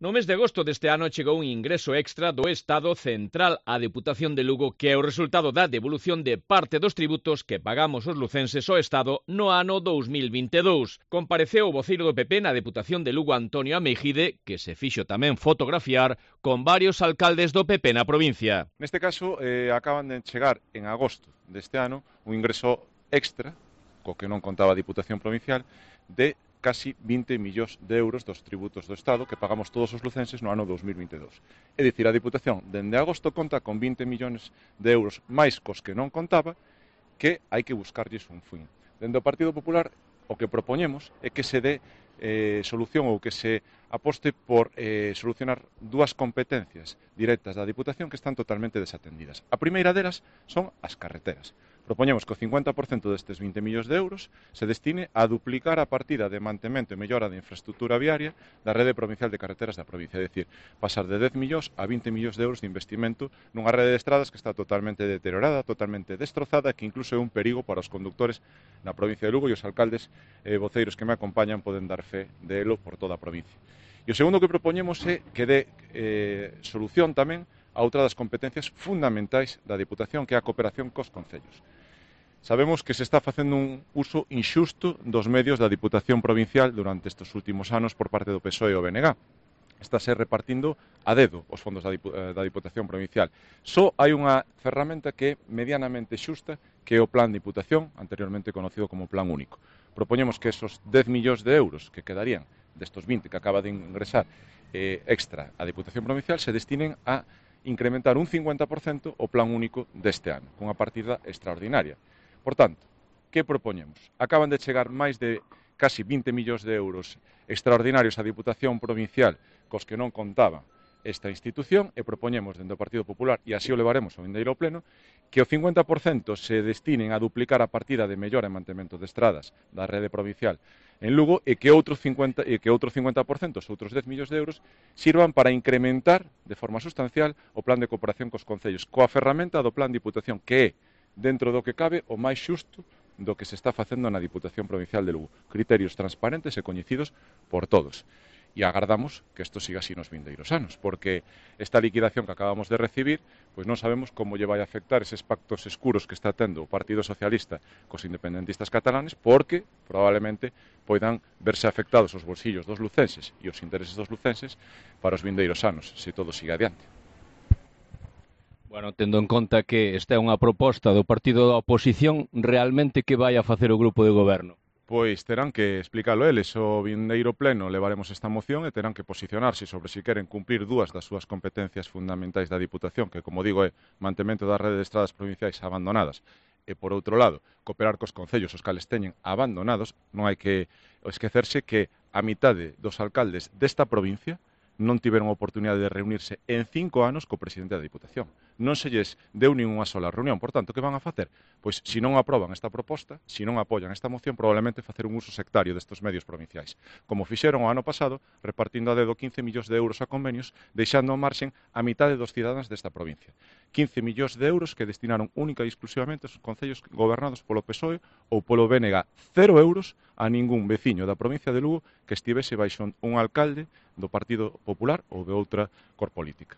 No mes de agosto deste ano chegou un ingreso extra do Estado central á Deputación de Lugo que é o resultado da devolución de parte dos tributos que pagamos os lucenses ao Estado no ano 2022. Compareceu o voceiro do PP na Deputación de Lugo, Antonio Ameijide, que se fixo tamén fotografiar con varios alcaldes do PP na provincia. Neste caso, acaban de chegar en agosto deste ano un ingreso extra, co que non contaba a Diputación Provincial, de casi 20 millóns de euros dos tributos do Estado que pagamos todos os lucenses no ano 2022. É dicir, a Diputación dende agosto conta con 20 millóns de euros máis cos que non contaba, que hai que buscarlles un fin. Dende o Partido Popular o que propoñemos é que se dé solución ou que se aposte por solucionar dúas competencias directas da Diputación que están totalmente desatendidas. A primeira delas son as carreteras. Propoñemos que o 50% destes 20 millóns de euros se destine a duplicar a partida de mantemento e mellora de infraestructura viaria da rede provincial de carreteras da provincia, é dicir, pasar de 10 millóns a 20 millóns de euros de investimento nunha rede de estradas que está totalmente deteriorada, totalmente destrozada, que incluso é un perigo para os conductores na provincia de Lugo e os alcaldes e voceiros que me acompañan poden dar fe de elo por toda a provincia. E o segundo que propoñemos é que dé solución tamén a outra das competencias fundamentais da Diputación, que é a cooperación cos concellos. Sabemos que se está facendo un uso inxusto dos medios da Diputación Provincial durante estes últimos anos por parte do PSOE e o BNG. Estáse repartindo a dedo os fondos da Diputación Provincial. Só hai unha ferramenta que é medianamente xusta, que é o Plan Diputación, anteriormente conocido como Plan Único. Propoñemos que esos 10 millóns de euros que quedarían destos 20 que acaba de ingresar extra a Diputación Provincial se destinen a incrementar un 50% o Plan Único deste ano, cunha partida extraordinaria. Por tanto, que propoñemos? Acaban de chegar máis de casi 20 millóns de euros extraordinarios á Diputación Provincial cos que non contaba esta institución e propoñemos dentro do Partido Popular, e así o levaremos ao vindeiro pleno, que o 50% se destinen a duplicar a partida de mellora e mantemento de estradas da rede provincial en Lugo e que outro 50%, os outros 10 millóns de euros, sirvan para incrementar de forma sustancial o plan de cooperación cos concellos, coa ferramenta do Plan Diputación, que é, dentro do que cabe, o máis xusto do que se está facendo na Diputación Provincial de Lugo. Criterios transparentes e coñecidos por todos. E agardamos que isto siga así nos vindeiros anos, porque esta liquidación que acabamos de recibir, pois non sabemos como lle vai afectar eses pactos escuros que está tendo o Partido Socialista cos independentistas catalanes, porque probablemente poidan verse afectados os bolsillos dos lucenses e os intereses dos lucenses para os vindeiros anos, se todo siga adiante. Bueno, tendo en conta que esta é unha proposta do partido da oposición, realmente que vai a facer o grupo de goberno? Pois terán que explicalo eles. O vindeiro pleno levaremos esta moción e terán que posicionarse sobre se queren cumprir dúas das súas competencias fundamentais da Diputación, que, como digo, é mantemento da rede de estradas provinciais abandonadas, e, por outro lado, cooperar cos concellos os cales teñen abandonados. Non hai que esquecerse que a mitade dos alcaldes desta provincia non tiveron a oportunidade de reunirse en 5 anos co presidente da Diputación. Non se lles deu nin unha sola reunión. Por tanto, que van a facer? Pois, se non aproban esta proposta, se non apoian esta moción, probablemente facer un uso sectario destes medios provinciais. Como fixeron o ano pasado, repartindo a dedo 15 millóns de euros a convenios, deixando ao marxen a mitade dos cidadáns desta provincia. 15 millóns de euros que destinaron única e exclusivamente aos concellos gobernados polo PSOE ou polo BNG. 0 euros a ningún veciño da provincia de Lugo que estivese baixo un alcalde do Partido Popular ou de outra cor política.